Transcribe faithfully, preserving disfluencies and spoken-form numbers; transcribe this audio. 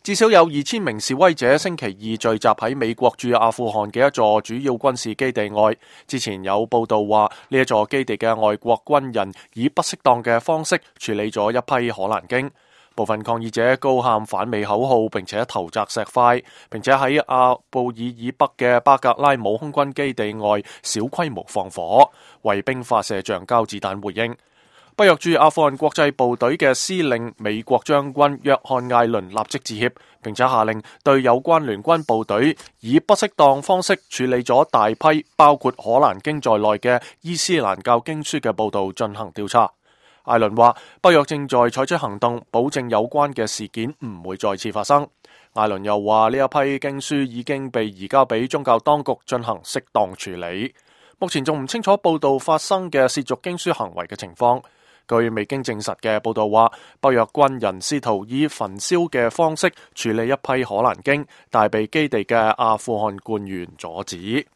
至少有二千名示威者星期二聚集喺美國駐阿富汗嘅一座主要軍事基地外。之前有報道話，呢一座基地嘅外國軍人以不適當嘅方式處理咗一批可蘭經。部分抗議者高喊反美口號，並且投擲石塊，並且喺阿布爾以北嘅巴格拉姆空軍基地外小規模放火，為兵發射橡膠子彈回應。北約駐阿富汗國際部隊嘅司令美國將軍約翰艾倫立即致歉，並且下令對有關聯軍部隊以不適當方式處理咗大批包括可蘭經在內嘅伊斯蘭教經書嘅報道進行調查。艾倫話，北約正在採取行動，保證有關嘅事件唔會再次發生。艾倫又話，呢一批經書已經被移交俾宗教當局進行適當處理。目前仲唔清楚報道發生嘅褻瀆經書行為嘅情況。據未經證實嘅報道話，北約軍人試圖以焚燒嘅方式處理一批可蘭經，但被基地嘅阿富汗官員阻止。